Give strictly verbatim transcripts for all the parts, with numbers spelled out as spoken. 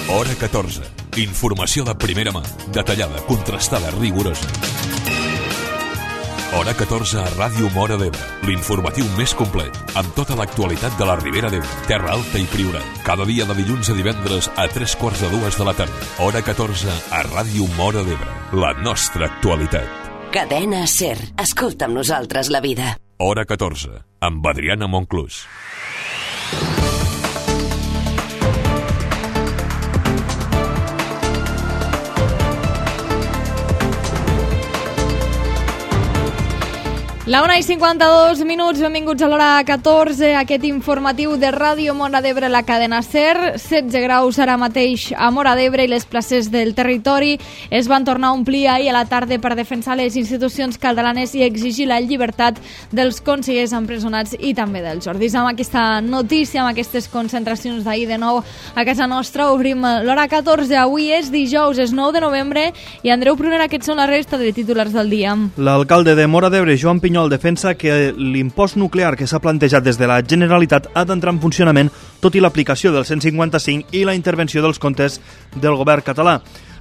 Hora catorze. Informació de primera mà, detallada, contrastada, rigorosa. Hora catorze a Ràdio Móra d'Ebre, l'informatiu més complet, amb tota l'actualitat de la Ribera d'Ebre, Terra Alta i Priorat. Cada dia de dilluns a divendres a tres quarts de dues de la tarda. Hora catorze a Ràdio Móra d'Ebre, la nostra actualitat. Cadena SER. Escolta amb nosaltres la vida. Hora catorze, amb Adriana Monclús. La una i cinquanta-dos minuts, benvinguts a l'hora catorze, aquest informatiu de Ràdio Móra d'Ebre, la cadena SER. setze graus ara mateix a Móra d'Ebre i les places del territori es van tornar a omplir ahir a la tarda per defensar les institucions catalanes i exigir la llibertat dels consellers empresonats i també dels Jordis. Amb aquesta notícia, amb aquestes concentracions d'ahir de nou a casa nostra, obrim l'hora catorze. Avui és dijous, és nou de novembre, i Andreu Prunera, aquests són la resta de titulars del dia. L'alcalde de Móra d'Ebre, Joan Pinyol, defensa que l'impost nuclear que s'ha plantejat des de la Generalitat ha d'entrar en funcionament tot i l'aplicació del cent cinquanta-cinc i la intervenció dels comptes del govern català.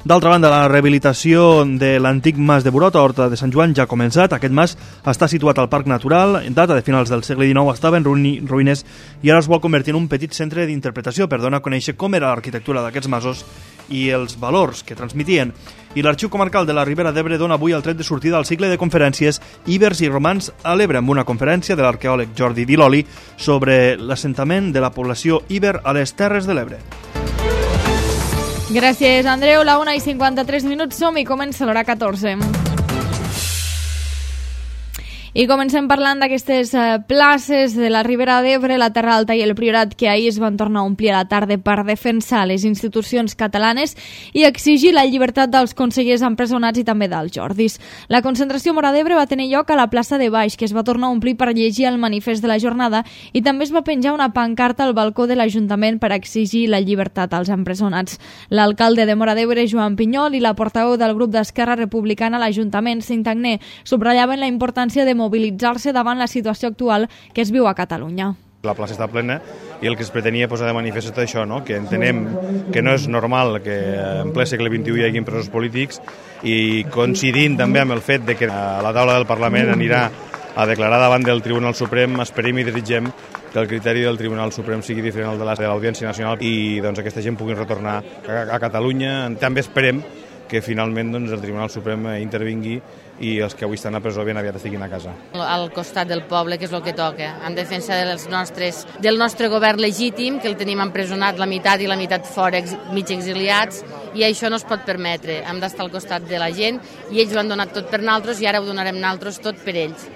D'altra banda, la rehabilitació de l'antic mas de Burot a Horta de Sant Joan ja ha començat. Aquest mas està situat al Parc Natural, en data de finals del segle dinou, estava en ruïnes i ara es vol convertir en un petit centre d'interpretació per donar a conèixer com era l'arquitectura d'aquests masos i els valors que transmitien. I l'Arxiu Comarcal de la Ribera d'Ebre dona avui el tret de sortida al cicle de conferències Ibers i Romans a l'Ebre, amb una conferència de l'arqueòleg Jordi Diloli sobre l'assentament de la població Iber a les Terres de l'Ebre. Gràcies, Andreu. La una i cinquanta-tres minuts som i comença l'hora catorze. I comencem parlant d'aquestes places de la Ribera d'Ebre, la Terra Alta i el Priorat, que ahir es van tornar a omplir a la tarda per defensar les institucions catalanes i exigir la llibertat dels consellers empresonats i també dels Jordis. La concentració a Móra d'Ebre va tenir lloc a la plaça de Baix, que es va tornar a omplir per llegir el manifest de la jornada, i també es va penjar una pancarta al balcó de l'Ajuntament per exigir la llibertat als empresonats. L'alcalde de Móra d'Ebre, Joan Pinyol, i la portaveu del grup d'Esquerra Republicana a l'Ajuntament, Cinc Tagner, subratllaven la importància de mobilitzar-se davant la situació actual que es viu a Catalunya. La plaça està plena i el que es pretenia posar de manifest és tot això, no? Que entenem que no és normal que en ple segle vint-i-u hi hagi presos polítics, i coincidint també amb el fet de que la taula del Parlament anirà a declarar davant del Tribunal Suprem, esperem i desitgem que el criteri del Tribunal Suprem sigui diferent al de l'Audiència Nacional i doncs, aquesta gent pugui retornar a, a Catalunya. També esperem que finalment doncs, el Tribunal Suprem intervingui i els que avui estan a presó ben aviat estiguin a casa. Al costat del poble, que és el que toca, en defensa dels nostres, del nostre govern legítim, que el tenim empresonat la meitat i la meitat fora, ex, mig exiliats, i això no es pot permetre. Hem d'estar al costat de la gent i ells ho han donat tot per nosaltres i ara ho donarem nosaltres tot per ells.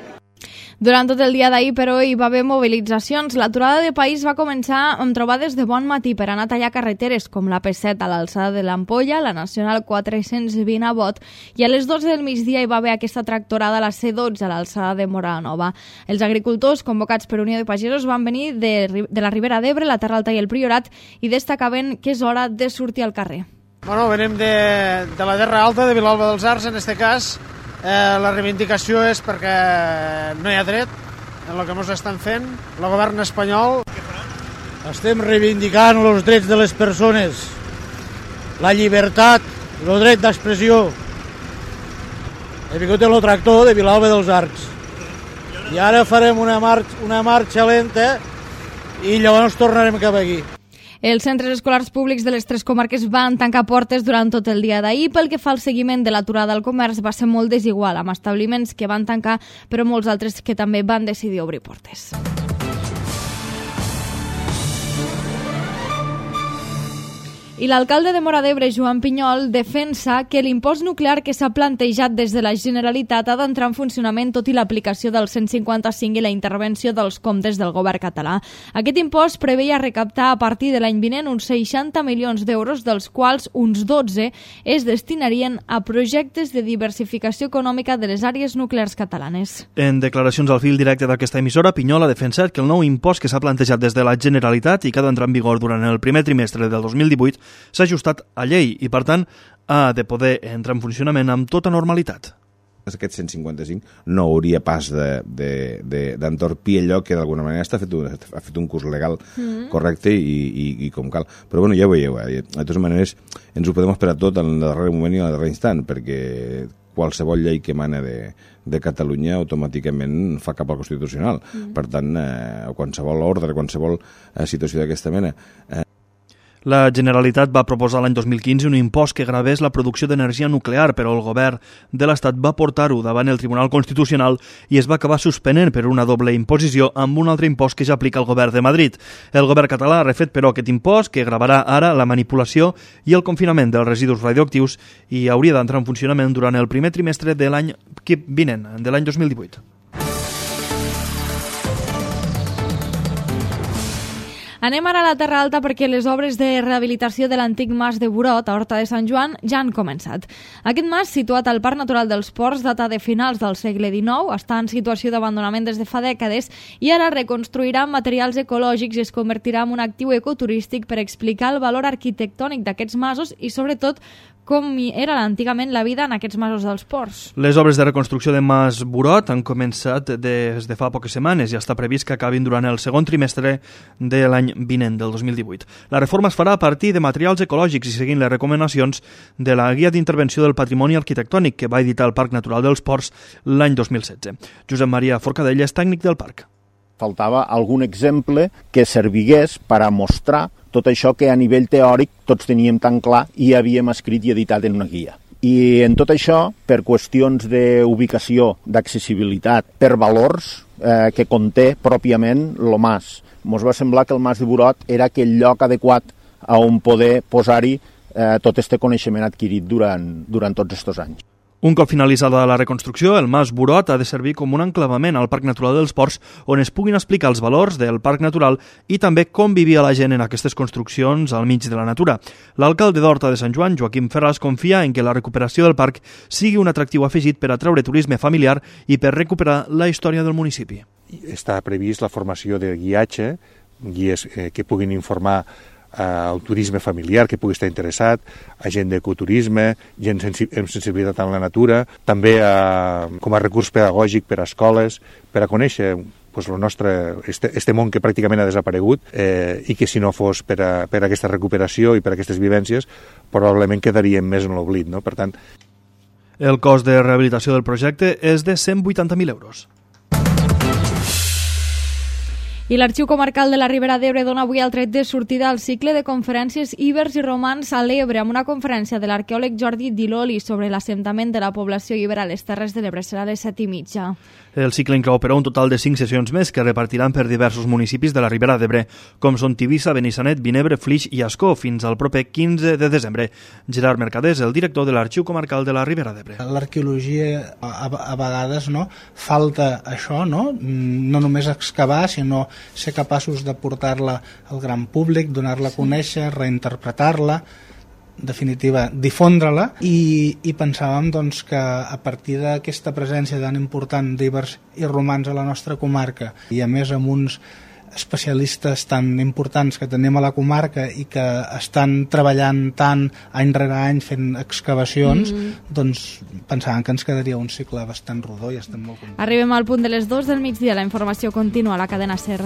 Durant tot el dia d'ahir, però, hi va haver mobilitzacions. L'aturada de país va començar amb trobades de bon matí per anar a tallar carreteres com la P set a l'alçada de l'Ampolla, la Nacional quatre-cents vint a Bot, i a les dotze del migdia hi va haver aquesta tractorada a la C dotze a l'alçada de Móra Nova. Els agricultors, convocats per Unió de Pagesos, van venir de, de la Ribera d'Ebre, la Terra Alta i el Priorat, i destacaven que és hora de sortir al carrer. Bueno, venim de, de la Terra Alta, de Vilalba dels Arcs, en aquest cas. Eh, la reivindicació és perquè no hi ha dret en el que ens estan fent el govern espanyol. Estem reivindicant els drets de les persones, la llibertat, el dret d'expressió. He vingut en el tractor de Vilalba dels Arcs i ara farem una, mar una marxa lenta i llavors tornarem cap aquí. Els centres escolars públics de les tres comarques van tancar portes durant tot el dia d'ahir. Pel que fa al seguiment de l'aturada al comerç, va ser molt desigual, amb establiments que van tancar, però molts altres que també van decidir obrir portes. I l'alcalde de Móra d'Ebre, Joan Pinyol, defensa que l'impost nuclear que s'ha plantejat des de la Generalitat ha d'entrar en funcionament tot i l'aplicació del cent cinquanta-cinc i la intervenció dels comptes del govern català. Aquest impost preveia recaptar a partir de l'any vinent uns seixanta milions d'euros, dels quals uns dotze es destinarien a projectes de diversificació econòmica de les àrees nuclears catalanes. En declaracions al fil directe d'aquesta emissora, Pinyol ha defensat que el nou impost que s'ha plantejat des de la Generalitat i que ha d'entrar en vigor durant el primer trimestre del dos mil divuit s'ha ajustat a llei i, per tant, ha de poder entrar en funcionament amb tota normalitat. aquest cent cinquanta-cinc no hauria pas d'entorpir allò que d'alguna manera està fet un, ha fet un curs legal mm. correcte i, i, i com cal. Però bueno, ja ho veieu, eh? De totes maneres ens ho podem esperar tot en el darrer moment i en el darrer instant, perquè qualsevol llei que emana de, de Catalunya automàticament fa cap al Constitucional. Mm. Per tant, eh, qualsevol ordre, qualsevol eh, situació d'aquesta mena... Eh, La Generalitat va proposar l'any dos mil quinze un impost que gravés la producció d'energia nuclear, però el govern de l'Estat va portar-ho davant el Tribunal Constitucional i es va acabar suspenent per una doble imposició amb un altre impost que ja aplica el govern de Madrid. El govern català ha refet, però, aquest impost que gravarà ara la manipulació i el confinament dels residus radioactius i hauria d'entrar en funcionament durant el primer trimestre de l'any vinent, de l'any dos mil divuit. Anem ara a la Terra Alta perquè les obres de rehabilitació de l'antic mas de Burot, a Horta de Sant Joan, ja han començat. Aquest mas, situat al Parc Natural dels Ports, data de finals del segle dinou, està en situació d'abandonament des de fa dècades i ara reconstruirà amb materials ecològics i es convertirà en un actiu ecoturístic per explicar el valor arquitectònic d'aquests masos i, sobretot, com era antigament la vida en aquests masos dels ports. Les obres de reconstrucció de Mas Burot han començat des de fa poques setmanes i està previst que acabin durant el segon trimestre de l'any vinent, del dos mil divuit. La reforma es farà a partir de materials ecològics i seguint les recomanacions de la Guia d'Intervenció del Patrimoni Arquitectònic que va editar el Parc Natural dels Ports l'any dos mil setze. Josep Maria Forcadell és tècnic del parc. Faltava algun exemple que servigués per a mostrar tot això que a nivell teòric tots teníem tan clar i havíem escrit i editat en una guia. I en tot això, per qüestions d'ubicació, d'accessibilitat, per valors eh, que conté pròpiament el mas, ens va semblar que el mas de Burot era aquell lloc adequat a on poder posar-hi eh, tot este coneixement adquirit durant, durant tots aquests anys. Un cop finalitzada la reconstrucció, el Mas Burot ha de servir com un enclavament al Parc Natural dels Ports on es puguin explicar els valors del Parc Natural i també com vivia la gent en aquestes construccions al mig de la natura. L'alcalde d'Horta de Sant Joan, Joaquim Ferràs, confia en que la recuperació del parc sigui un atractiu afegit per atraure turisme familiar i per recuperar la història del municipi. Està previst la formació de guiatge, guies eh, que puguin informar al turisme familiar que pugui estar interessat, a gent d'ecoturisme, gent amb sensibilitat amb la natura, també a, com a recurs pedagògic per a escoles, per a conèixer pues, el nostre, este, este món que pràcticament ha desaparegut eh, i que si no fos per a, per a aquesta recuperació i per a aquestes vivències probablement quedaríem més en l'oblit, no? Per tant... El cost de rehabilitació del projecte és de cent vuitanta mil euros. I l'Arxiu Comarcal de la Ribera d'Ebre dona avui el tret de sortida al cicle de conferències Ibers i Romans a l'Ebre, amb una conferència de l'arqueòleg Jordi Diloli sobre l'assentament de la població ibera a les Terres de l'Ebre. Serà a les set i mitja. El cicle inclou, però, un total de cinc sessions més que repartiran per diversos municipis de la Ribera d'Ebre, com són Tivissa, Benissanet, Vinebre, Flix i Ascó, fins al proper quinze de desembre. Gerard Mercadés, el director de l'Arxiu Comarcal de la Ribera d'Ebre. L'arqueologia, a, a vegades, no, falta això, no? No només excavar, sinó ser capaços de portar-la al gran públic, donar-la a conèixer, reinterpretar-la, en definitiva, difondre-la, i, i pensàvem doncs, que a partir d'aquesta presència tan important d'Ibers i Romans a la nostra comarca, i a més amb uns especialistes tan importants que tenim a la comarca i que estan treballant tant any rere any fent excavacions, mm-hmm. doncs pensàvem que ens quedaria un cicle bastant rodó i estem molt contents. Arribem al punt de les dues del migdia. La informació continua a la cadena SER.